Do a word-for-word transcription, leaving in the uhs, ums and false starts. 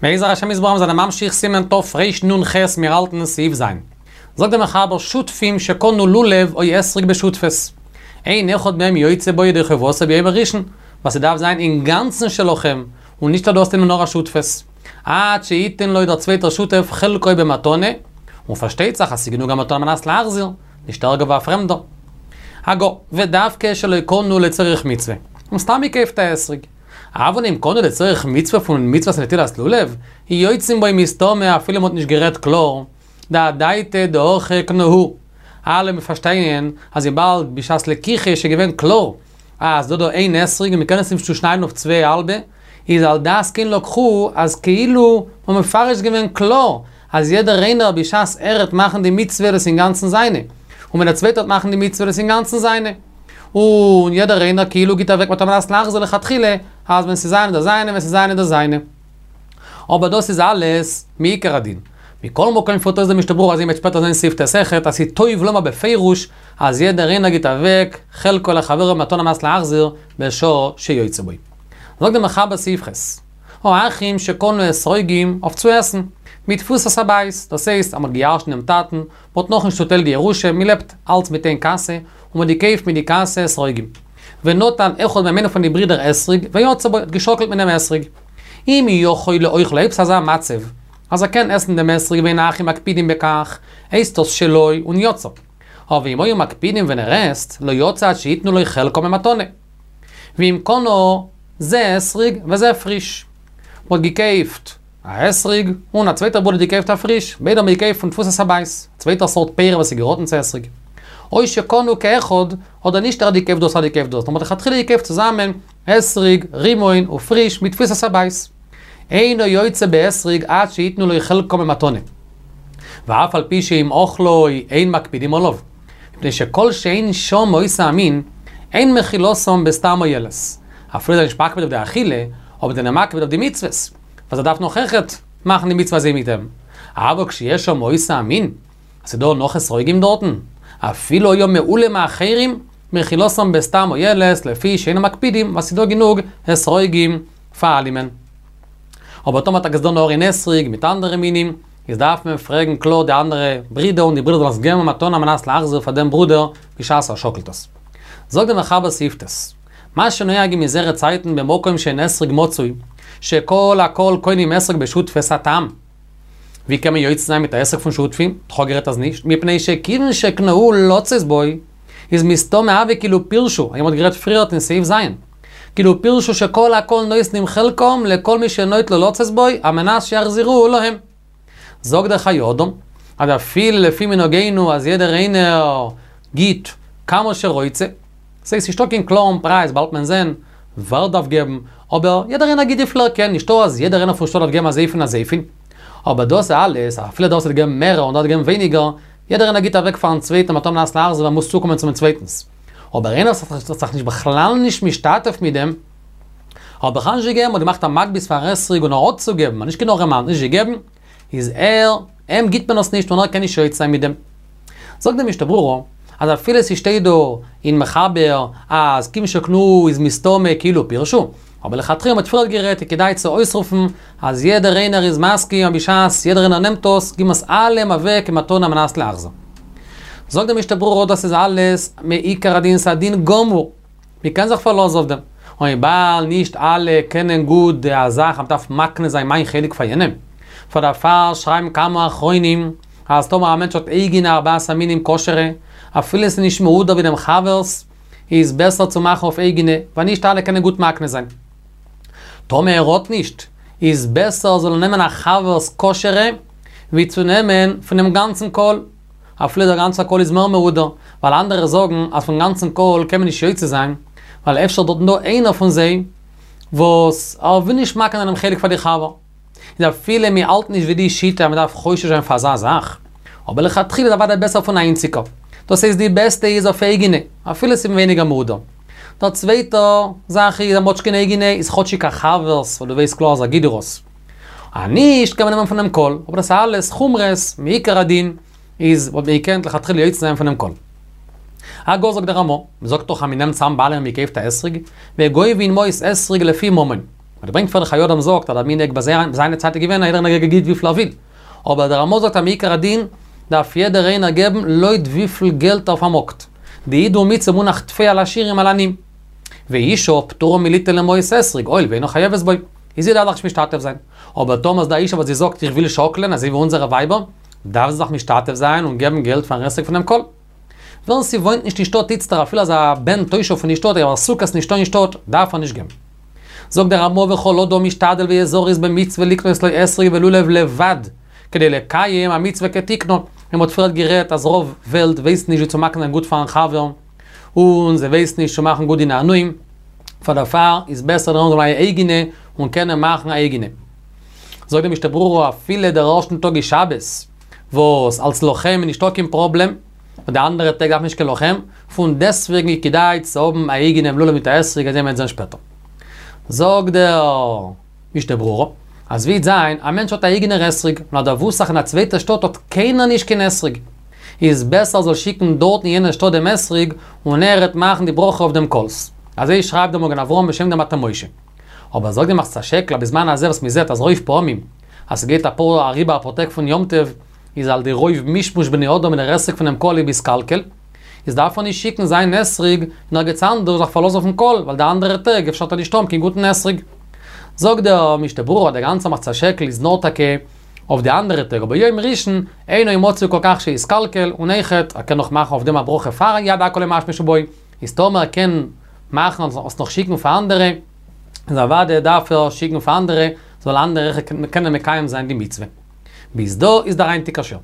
בעזר השם יתברך מיר זענען ממשיך סימן תרנ"ח מיר האלטן סעיף ז'. זאגט דער מחבר שותפים שקנו לולב או אתרוג בשותפות. אין אחד מהם יוצא בו ידי חובתו ביום הראשון, ווייל ס'דארף זיין אינגאנצן שלכם, און נישט אז דו האסט אים נאר א שותפות. עד שיתן לו דער צווייטער שותף חלקו במתנה, און פארשטייט זיך אז ס'איז גענוג א מתנה על מנת להחזיר, נישט ערגער ווי א פרעמדער. הגה, ודווקא שלא קנו לצורך מצוה, און סתם געקויפט א אתרוג. אבל אם קנו לצורך מצוה פון מצוות נטילת לולב, יוצאים בו מסתמא אפילו מ'האט נישט גערעדט קלאר, דאדעתא דהכי קנוהו. אלע פארשטייען אז וויבאלד בשעת לקיחה איז שוין געווען קלאר אז דא דא איין אתרוג און מ'קען עס נישט צושניידן אויף צוויי האלבע, איז על דעת כן לקחו אז כאילו מ'האט מפרש געווען קלאר אז יעדער איינער בשעת ער העט מאכן די מצוה דאס אינגאנצן זיינע, און ווען דער צווייטער העט מאכן די מצוה דאס אינגאנצן זיינע. און יעדער איינער כאילו גיט אוועק מתנה על מנת להחזיר לכתחילה, אז ווען ס'איז זיינע דאס זיינע ווען ס'איז זיינע דאס זיינע. אבער דאס איז אלעס מעיקר הדין. מכל מקום פירט אויס דער משנה ברורה אזוי מ'וועט שפעטער זען סעיף ט' אויכעט אז ס'איז טוב לומר בפירוש אז יעדער איינער גיט אוועק חלקו לחברו מתנה על מנת להחזיר בשעה שיוצא בו. זאגט דער מחבר סעיף ח'. האחים שקנו אתרוגים אויף צו עסן, מתפוסת הבית, דאס הייסט אז מ'האט געירשנט דעם טאטן, מ'האט נאכנישט צוטיילט די ירושה, מ'לעבט אלץ מיט איין קאסע, און מ'האט געקויפט מיט די קאסע אתרוגים. ונטל אחד מהם איינער פון די ברידער אתרוג, ויצא בו, האט געשאקלט מיט דעם אתרוג. אם יכול לאוכלו, אויב ס'אזא מצב, אז ער קען עסן דעם אתרוג ואין האחים מקפידים בכך, הייסט דאס שלו און יצא. אבער אם היו מקפידים ווען ער עסט, לא יצא עד שיתנו לו חלקו במתנה. ואם קנה זה אתרוג וזה פריש. מ'האט געקויפט א אתרוג, און א צווייטער ברודער האט געקויפט א פריש, ביידע האבן געקויפט פון תפוסת הבית, צווייטער סארט פירות וואס איז געראטן צו אתרוג. או שקנו כאחד, אדער נישט ער האט געקויפט דאס ער האט געקויפט דאס, נאר מ'האט לכתחילה געקויפט צוזאמען אתרוג, רימון ופריש מתפוסת הבית. אינו יוצא באתרוג עד שיתנו לו חלקו במתנה. ואף על פי שאם אוכלו אין מקפידים עליו. מפני שכל שאין שם אותו המין, אין מחילתם בסתם מועלת. אפילו זיי נישט מקפיד אויף די אכילה, אבער זענען מקפיד אויף די מצוות. וואס ער דארף נאך אויכעט מאכן די מצוה אזוי מיט אים. אבל כשיש שם אותו המין, אז ס'דא נאך אתרוגים דארטן, אפילו היה מעולה מאחרים, מחילתם בסתם מועלת, לפי שאינם מקפידים, ווייל ס'דא גענוג אתרוגים פאר אלעמען. אבער טאמער טאקע איז דא נאר איין אתרוג מיט אנדערע מינים, איז דארף מען פרעגן קלאר די אנדערע ברידער און די ברידער זאלן עס געבן א מתנה על מנת להחזיר פאר דעם ברודער בשעת ער שאקלט עס. זאגט דער מחבר סעיף ט', מה שנוהגים אונזערע צייטן במקום שאין אתרוג מצוי, שכל הקהל קונים אתרוג בשותפות הטעם. ווי קען מען יוצא זיין מיט א אתרוג פון שותפים? כ'האב גערעדט אז נישט, מפני שכיוון שקנוהו לצאת בו, איז מסתמא הוי כאילו פירשו, אזוי מ'האט גערעדט פריערט אין סעיף ז', כאילו פירשו שכל הקהל נותנים חלקם לכל מי שנוטלו לצאת בו, על מנת שיחזירוהו להם. זאגט דער חיי אדם, אז אפילו לפי מנהגינו אז יעדער איינער גיט כמה שרוצה, ס'הייסט נישטא קיין קלארן פרייז, באלד וועט מען זען ווער דארף געבן, אבער יעדער איינער גיט וויפיל ער קען, נישטא אז יעדער איינער פון שטאט דארף געבן אזויפיל און אזויפיל, אבער דאס אלעס, אפילו דער וואס האט געגעבן מער און דער האט געגעבן ווייניגער, יעדער איינער גיט אוועק פארן צווייטן מתנה על מנת להחזיר ווייל מ'מוז צוקומען צום צווייטנס. אבער איינער וואס האט זיך נישט בכלל נישט משתתף מיט דעם, האט בכלל נישט געגעבן, האט געמאכט א מגבית פאר אתרוג און ער האט צו געבן, נישט קיין ארעמאן, נישט געגעבן, איז ער, אים גיט מען עס נישט און ער קען נישט יוצא זיין מיט דעם. זאגט די משנה ברורה, אז אפילו ס'שטייט דא אין מחבר אז כיוון שקנוהו איז מסתמא כאילו פירשו, אבער לכתחילה מ'האט פריערט גערעדט איז כדאי צו אויסרופן אז יעדער איינער איז מסכים אז בשעת יעדער איינער נעמט עס, גיבן עס אלעם אוועק כמתנה על מנת להחזיר. זאגט די משנה ברורה דאס איז אלעס מעיקר הדין ס'א דין גמור, מ'קען זיך פארלאזן אויף דעם, און וויבאלד נישט אלע קענען גוט די זאך אז מ'דארף מקנה זיין מיין חלק פאר יענעם, פאר דערפאר שרייבן כמה אחרונים אז טאמער א מענטש האט אייגענע ארבעת המינים כשר'ע, אפילו ס'איז נישט מהודר ווי דעם חבר'ס, איז בעסער צו מאכן אויף אייגענע, ווייל נישט אלע קענען גוט מקנה זיין. טאמער ער האט נישט, איז בעסער זאל ער נעמען א חבר'ס כשר'ע, ווי צו נעמען פונעם גאנצן קהל, אפילו דער גאנצער קהל איז מער מהודר, ווייל אנדערע זאגן אז פון גאנצן קהל קען מען נישט יוצא זיין, ווייל אפשר דארטן דא איינער פון זיי וואס ער וויל נישט מקנה זיין דעם חלק פאר די חבר. איז אפילו מען האלט נישט ווי די שיטה אז מען דארף חושש זיין פאר אזא זאך, אבער לכתחילה איז אוודאי בעסער פון א איינציגער. דאס הייסט די בעסטע איז אויף אייגענע, אפילו ס'איז ווייניגער מהודר. דער צווייטע זאך איז אז מ'האט נישט קיין אייגענע איז כאטשיג א חבר'ס וואס דו ווייסט קלאר אז ער גיט דיר עס. אז נישט קען מען נעמען פונעם קהל, אבער דאס איז אלעס חומרות, מעיקר הדין איז וואלט מען געקענט לכתחילה יוצא זיין פונעם קהל. הגה זאגט דער רמא, מ'זאגט דאך אז מ'נעמט צאם ביי אלעמען מ'קויפט א אתרוג, וגובין מעות אתרוג לפי ממון. און דער ברענגט פאר דער חיי אדם זאגט אז דער מנהג ביי זיינע צייט איז געווען אז יעדער איינער גיט וויפיל ער וויל. אבער דער רמא זאגט אז מעיקר הדין דארף יעדער איינער געבן לויט וויפיל געלט ער פארמאגט. דאידהו מצוה מונח טפי על עשירים על עניים. ואשה פטורה מליתן למעות אתרוג, הואיל ואינה חייבת בו. איז זי דארף זיך נישט משתתף זיין. אבער טאמער איז דא א אישה וואס זי זאגט איך וויל שאקלען אזוי ווי אונזערע ווייבער, דארף זי זיך משתתף זיין און געבן געלט פארן אתרוג פונעם קהל. ווער ס'וואוינט נישט אין שטאט איצטער אפילו אז א בן תושב פון די שטאט אבער סוכות נישטא אין שטאט דארף ער נישט געבן. זאגט דער רמא וכל אדם משתדל ויזריז במצוה לקנות לו אתרוג ולולב לבד כדי לקיים המצוה כתיקנה, ווי מ'האט פריערט גערעדט אז רוב וועלט ווייסט נישט ווי צו מקנה זיין גוט פארן חבר און זיי ווייסן נישט צו מאכן גוט די נענועים, פאר דערפאר איז בעסער דער עולם זאל האבן א אייגענע און קענען מאכן א אייגענע. זאגט די משנה ברורה אפילו דער ערשטן טאג איז שבת וואס אלס לכם איז נישטא קיין פראבלעם, און די אנדערע טעג דארף מען נישט קיין לכם, פון דעסטוועגן איז כדאי צו האבן א אייגענעם לולב מיט א אתרוג אזוי מ'וועט זען שפעטער. זאגט דער משנה ברורה, אז וועט זיין, א מענטש האט א אייגענער אתרוג, און ער דערוואוסט זיך אין א צווייטע שטאט האט קיינער נישט קיין אתרוג, איז בעסער זאל שיקן דארט אין יענע שטאט דעם אתרוג, און ער העט מאכן די ברכה אויף דעם קהל'ס. אזוי שרייבט דער מגן אברהם בשם דעם מטה משה. אבער זאגט די מחצית השקל אז בזמן הזה וואס מ'זעט אז רוב פעמים אז ס'גייט אפאר אריבער אפאר טעג פון יום טוב איז על די רוב מישמוש בני אדם אין דער אתרוג פונעם קהל איז מתקלקל, איז דארף ער נישט שיקן זיין אתרוג אין ערגעץ אנדערש זיך פארלאזן אויפן קהל ווייל די אנדערע טעג אפשר האט ער נישט האבן קיין גוטן אתרוג. זאגט דער משנה ברורה אז דער גאנצער מחצית השקל איז נאר טאקע אויף די אנדערע טעג אבער יום ראשון אינו מצוי כל כך שיתקלקל און אויכעט ער קען נאך מאכן אויף דעם א ברכה פאר יד הכל ימשמשו בו איז טאמער ער קען מאכן און נאך שיקן פאר אנדערע איז אוודאי דארף ער שיקן פאר אנדערע זאל אנדערע קענען מקיים זיין די מצוה. ביז דא איז דער היינטיגער שיעור.